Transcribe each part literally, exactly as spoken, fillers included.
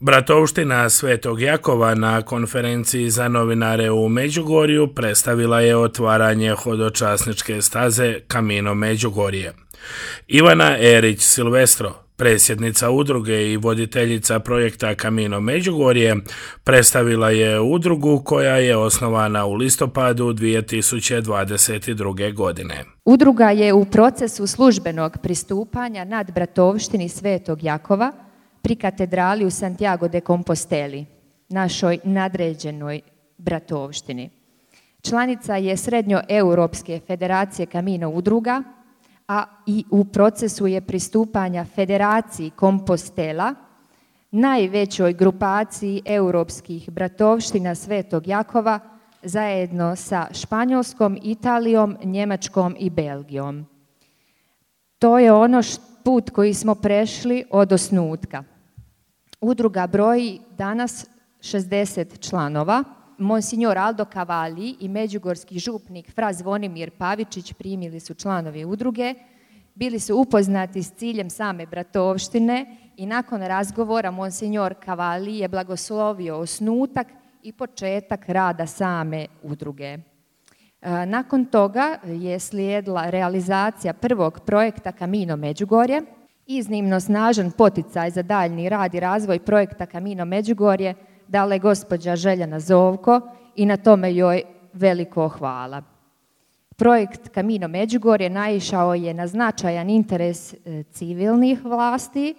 Bratovština Svetog Jakova na konferenciji za novinare u Međugorju predstavila je otvaranje hodočasničke staze Camino Međugorje. Ivana Erić Silvestro, predsjednica udruge i voditeljica projekta Camino Međugorje, predstavila je udrugu koja je osnovana u listopadu dvije tisuće dvadeset druge. godine. Udruga je u procesu službenog pristupanja nad Bratovštini Svetog Jakova pri katedrali u Santiago de Composteli, našoj nadređenoj bratovštini. Članica je Srednjoeuropske federacije Camino udruga, a i u procesu je pristupanja Federaciji Compostela, najvećoj grupaciji europskih bratovština Svetog Jakova, zajedno sa Španjolskom, Italijom, Njemačkom i Belgijom. To je ono put koji smo prešli od osnutka. Udruga broji danas šezdeset članova. Monsignor Aldo Cavalli i međugorski župnik fra Zvonimir Pavičić primili su članovi udruge, bili su upoznati s ciljem same bratovštine i nakon razgovora Monsignor Cavalli je blagoslovio osnutak i početak rada same udruge. Nakon toga je slijedila realizacija prvog projekta Camino Međugorje. Iznimno snažan poticaj za daljnji rad i razvoj projekta Camino Međugorje dala je gospođa Željana Zovko i na tome joj veliko hvala. Projekt Camino Međugorje naišao je na značajan interes civilnih vlasti.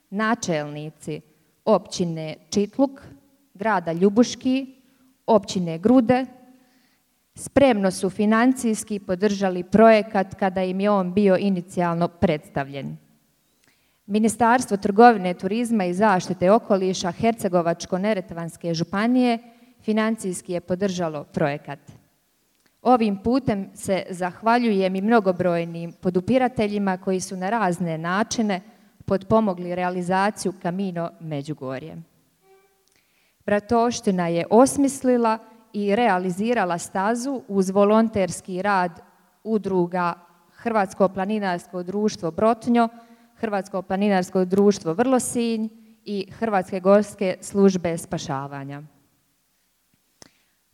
Načelnici općine Čitluk, grada Ljubuški, općine Grude spremno su financijski podržali projekat kada im je on bio inicijalno predstavljen. Ministarstvo trgovine, turizma i zaštite okoliša Hercegovačko-neretvanske županije financijski je podržalo projekat. Ovim putem se zahvaljujem i mnogobrojnim podupirateljima koji su na razne načine potpomogli realizaciju Camino Međugorje. Bratovština je osmislila i realizirala stazu uz volonterski rad udruga Hrvatsko planinarsko društvo Brotnjo, Hrvatsko planinarsko društvo Vrlosinj i Hrvatske gorske službe spašavanja.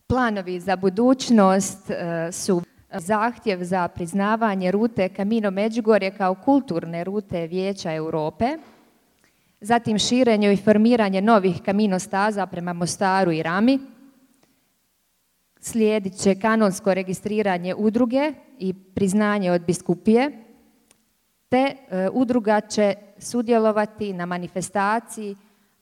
Planovi za budućnost su zahtjev za priznavanje rute Camino Međugorje kao kulturne rute Vijeća Europe, zatim širenje i formiranje novih Camino staza prema Mostaru i Rami, slijedit će kanonsko registriranje udruge i priznanje od biskupije, te e, udruga će sudjelovati na manifestaciji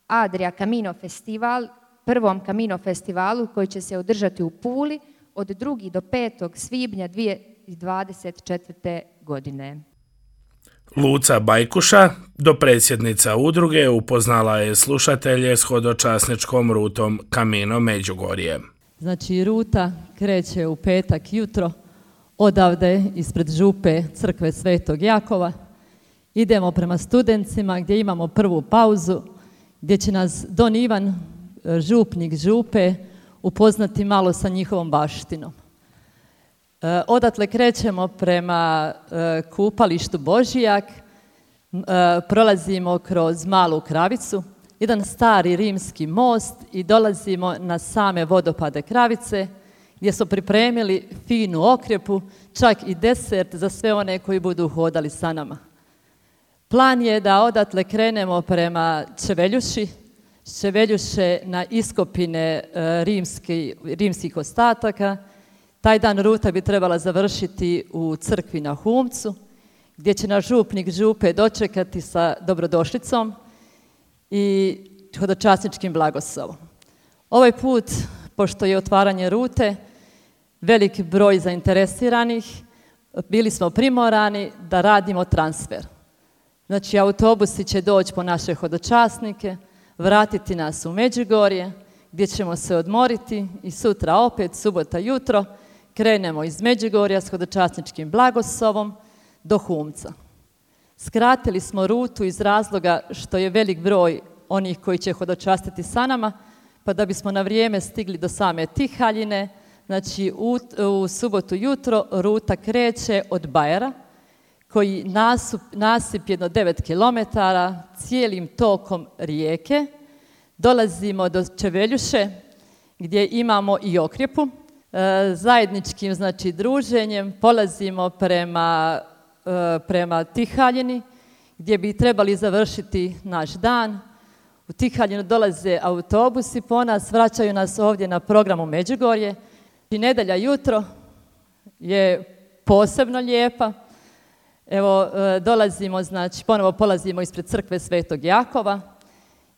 Adria Camino Festival, prvom Camino festivalu koji će se održati u Puli od drugog do petog svibnja dvije tisuće dvadeset četvrte. godine. Luca Bajkuša, dopredsjednica udruge, upoznala je slušatelje s hodočasničkom rutom Camino Međugorje. Znači, ruta kreće u petak jutro odavde ispred župe crkve Svetog Jakova. Idemo prema Studencima gdje imamo prvu pauzu, gdje će nas Don Ivan, župnik župe, upoznati malo sa njihovom baštinom. E, odatle krećemo prema e, kupalištu Božijak, e, prolazimo kroz Malu Kravicu, jedan stari rimski most i dolazimo na same vodopade Kravice, gdje smo pripremili finu okrjepu, čak i desert za sve one koji budu hodali sa nama. Plan je da odatle krenemo prema Čeveljuši, Čeveljuše na iskopine rimski, rimskih ostataka. Taj dan ruta bi trebala završiti u crkvi na Humcu, gdje će nas župnik župe dočekati sa dobrodošlicom i hodočasničkim blagoslovom. Ovaj put, pošto je otvaranje rute, veliki broj zainteresiranih, bili smo primorani da radimo transfer. Znači, autobusi će doći po naše hodočasnike, vratiti nas u Međugorje, gdje ćemo se odmoriti i sutra opet, subota jutro, krenemo iz Međugorja s hodočasničkim blagoslovom do Humca. Skratili smo rutu iz razloga što je velik broj onih koji će hodočastiti sa nama, pa da bismo na vrijeme stigli do same Tihaljine. Znači, u, u subotu jutro ruta kreće od Bajera, koji nasup, nasip jedno devet kilometara cijelim tokom rijeke dolazimo do Čeveljuše gdje imamo i Okrjepu. E, zajedničkim znači, druženjem polazimo prema, e, prema Tihaljini gdje bi trebali završiti naš dan. U Tihaljinu dolaze autobusi po nas, vraćaju nas ovdje na programu Međugorje. I nedjelja jutro je posebno lijepa. Evo, dolazimo, znači, ponovo polazimo ispred crkve Svetog Jakova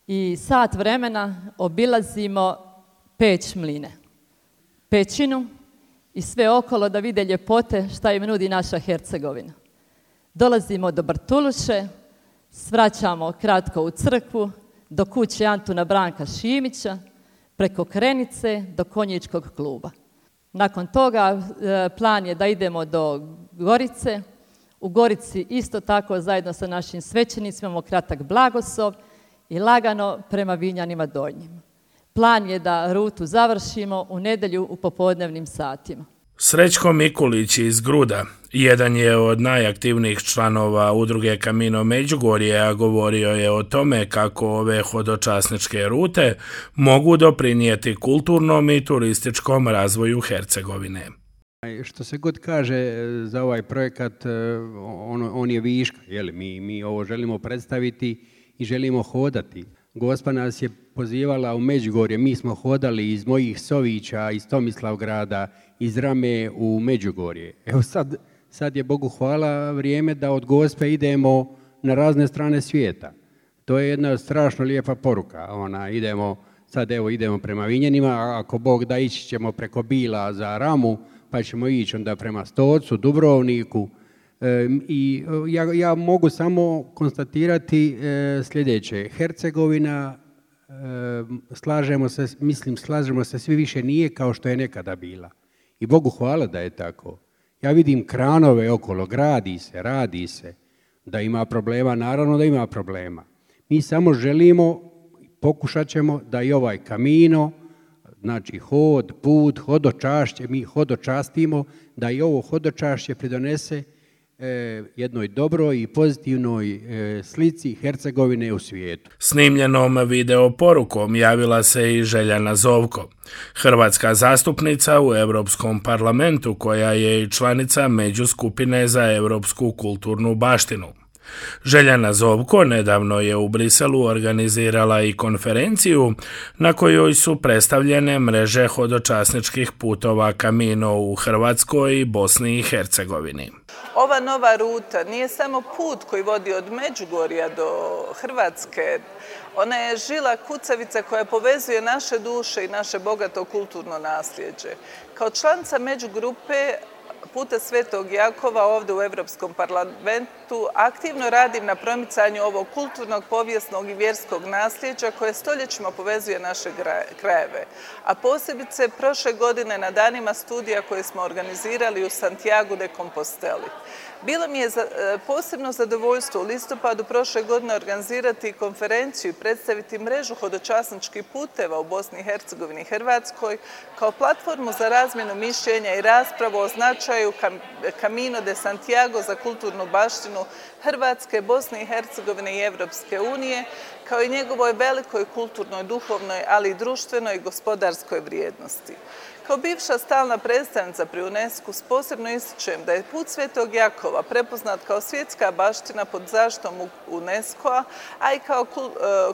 i sat vremena obilazimo Peć Mline, pećinu i sve okolo da vide ljepote šta im nudi naša Hercegovina. Dolazimo do Bartuluše, svraćamo kratko u crkvu, do kuće Antuna Branka Šimića, preko Krenice do Konjičkog kluba. Nakon toga plan je da idemo do Gorice. U Gorici isto tako zajedno sa našim svećenicima imamo kratak blagoslov i lagano prema Vinjanima Donjima. Plan je da rutu završimo u nedjelju u popodnevnim satima. Srećko Mikulić iz Gruda jedan je od najaktivnijih članova udruge Camino Međugorje, a govorio je o tome kako ove hodočasničke rute mogu doprinijeti kulturnom i turističkom razvoju Hercegovine. Što se god kaže za ovaj projekat, on, on je viška. Jeli, mi, mi ovo želimo predstaviti i želimo hodati. Gospa nas je pozivala u Međugorje, mi smo hodali iz mojih Sovića, iz Tomislavgrada, iz Rame u Međugorje. Evo sad, sad je Bogu hvala vrijeme da od Gospe idemo na razne strane svijeta. To je jedna strašno lijepa poruka. Ona, idemo, sad evo idemo prema Vinjanima, a ako Bog da ići ćemo preko Bila za Ramu, pa ćemo ići onda prema Stocu, Dubrovniku. E, I ja, ja mogu samo konstatirati e, sljedeće. Hercegovina, e, slažemo se, mislim, slažemo se svi više nije kao što je nekada bila. I Bogu hvala da je tako. Ja vidim kranove okolo, gradi se, radi se. Da ima problema, naravno da ima problema. Mi samo želimo, pokušat ćemo da i ovaj Camino, znači hod, put, hodočašće, mi hodočastimo, da i ovo hodočašće pridonese e, jednoj dobroj i pozitivnoj e, slici Hercegovine u svijetu. Snimljenom video porukom javila se i Željana Zovko, hrvatska zastupnica u Europskom parlamentu koja je i članica međuskupine za europsku kulturnu baštinu. Željana Zovko nedavno je u Briselu organizirala i konferenciju na kojoj su predstavljene mreže hodočasničkih putova Camino u Hrvatskoj i Bosni i Hercegovini. Ova nova ruta nije samo put koji vodi od Međugorja do Hrvatske. Ona je žila kucavica koja povezuje naše duše i naše bogato kulturno nasljeđe. Kao članica međugrupe Puta Svetog Jakova ovdje u Europskom parlamentu aktivno radim na promicanju ovog kulturnog, povijesnog i vjerskog nasljeđa koje stoljećima povezuje naše krajeve. A posebice prošle godine na danima studija koje smo organizirali u Santiago de Composteli. Bilo mi je posebno zadovoljstvo u listopadu prošle godine organizirati konferenciju i predstaviti mrežu hodočasničkih puteva u Bosni i Hercegovini i Hrvatskoj kao platformu za razmjenu mišljenja i raspravu o značaju Camino de Santiago za kulturnu baštinu Hrvatske, Bosne i Hercegovine i Evropske unije, kao i njegovoj velikoj kulturnoj, duhovnoj, ali i društvenoj i gospodarskoj vrijednosti. Kao bivša stalna predstavnica pri UNESCO posebno ističem da je put Svetog Jakova prepoznat kao svjetska baština pod zaštitom UNESCO-a, a i kao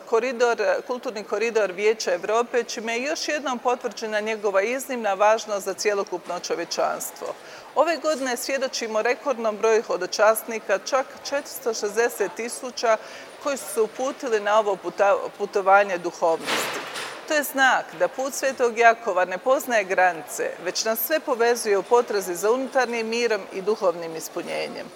koridor, kulturni koridor Vijeća Europe, čime je još jednom potvrđena njegova iznimna važnost za cjelokupno čovječanstvo. Ove godine svjedočimo rekordnom broju hodočasnika, čak četiristo šezdeset tisuća koji su se uputili na ovo putovanje duhovnosti. To je znak da put Svetog Jakova ne poznaje granice, već nas sve povezuje u potrazi za unutarnjim mirom i duhovnim ispunjenjem.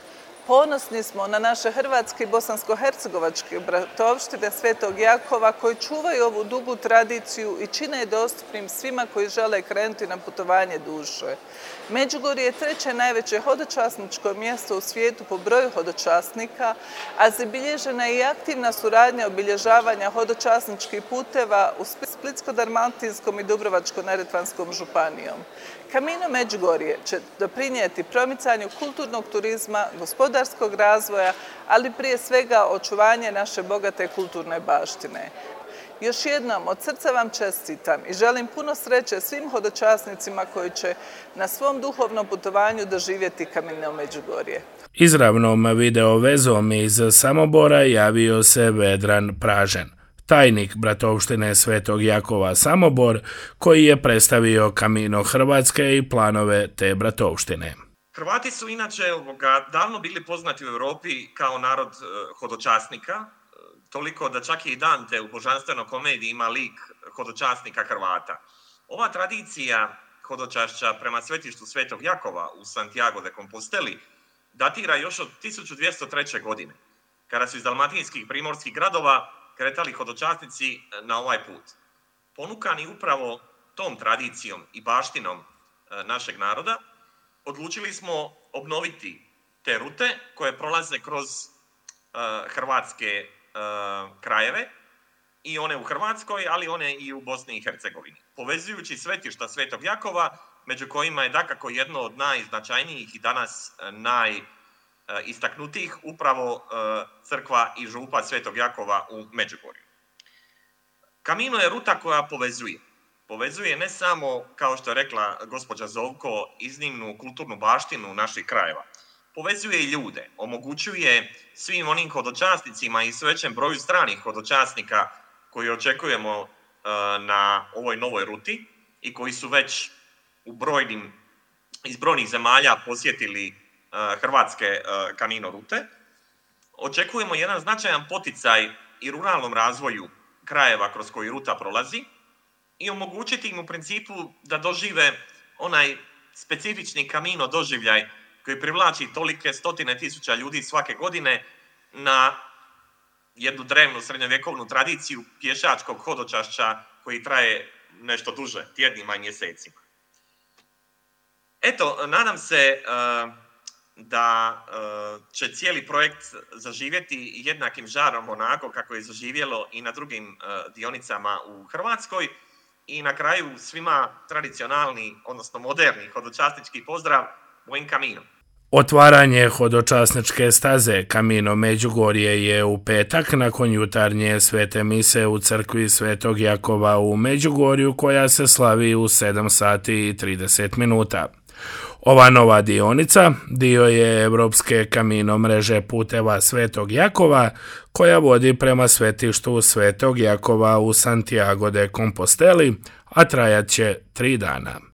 Ponosni smo na naše hrvatske i bosansko-hercegovačke bratovštine Svetog Jakova koji čuvaju ovu dugu tradiciju i čine je dostupnim svima koji žele krenuti na putovanje duše. Međugorje je treće najveće hodočasničko mjesto u svijetu po broju hodočasnika, a zabilježena je i aktivna suradnja obilježavanja hodočasničkih puteva u Splitsko-dalmatinskom i Dubrovačko-neretvanskom županijom. Camino Međugorje će doprinijeti promicanju kulturnog turizma, gospodarskog razvoja, ali prije svega očuvanje naše bogate kulturne baštine. Još jednom, od srca vam čestitam i želim puno sreće svim hodočasnicima koji će na svom duhovnom putovanju doživjeti Kamino Međugorje. Izravnom video vezom iz Samobora javio se Vedran Pražen, tajnik Bratovštine Svetog Jakova Samobor, koji je predstavio Kamino Hrvatske i planove te bratovštine. Hrvati su inače davno bili poznati u Europi kao narod hodočasnika, toliko da čak i Dante u Božanstvenoj komediji ima lik hodočasnika Hrvata. Ova tradicija hodočašća prema svetištu Svetog Jakova u Santiago de Composteli datira još od tisuću dvjesto treće. godine, kada su iz dalmatinskih primorskih gradova kretali hodočasnici na ovaj put. Ponukani upravo tom tradicijom i baštinom našeg naroda, odlučili smo obnoviti te rute koje prolaze kroz uh, hrvatske uh, krajeve, i one u Hrvatskoj, ali one i u Bosni i Hercegovini. Povezujući svetišta Svetog Jakova, među kojima je dakako jedno od najznačajnijih i danas najistaknutijih upravo uh, crkva i župa Svetog Jakova u Međugorju. Kamino je ruta koja povezuje. Povezuje ne samo, kao što je rekla gospođa Zovko, iznimnu kulturnu baštinu naših krajeva. Povezuje i ljude, omogućuje svim onim hodočasnicima i sve većem broju stranih hodočasnika koji očekujemo uh, na ovoj novoj ruti i koji su već u brojnim, iz brojnih zemalja posjetili uh, hrvatske uh, Kamino rute. Očekujemo jedan značajan poticaj i ruralnom razvoju krajeva kroz koji ruta prolazi, i omogućiti im u principu da dožive onaj specifični Kamino doživljaj koji privlači tolike stotine tisuća ljudi svake godine na jednu drevnu srednjovjekovnu tradiciju pješačkog hodočašća koji traje nešto duže, tjednima i mjesecima. Eto, nadam se uh, da uh, će cijeli projekt zaživjeti jednakim žarom onako kako je zaživjelo i na drugim uh, dionicama u Hrvatskoj. I na kraju svima tradicionalni, odnosno moderni hodočasnički pozdrav, Buen Camino. Otvaranje hodočasničke staze Kamino Međugorje je u petak nakon jutarnje svete mise u crkvi Svetog Jakova u Međugorju, koja se slavi u sedam sati i trideset minuta. Ova nova dionica dio je Europske Kamino mreže puteva Svetog Jakova, koja vodi prema svetištu Svetog Jakova u Santiago de Composteli, a trajat će tri dana.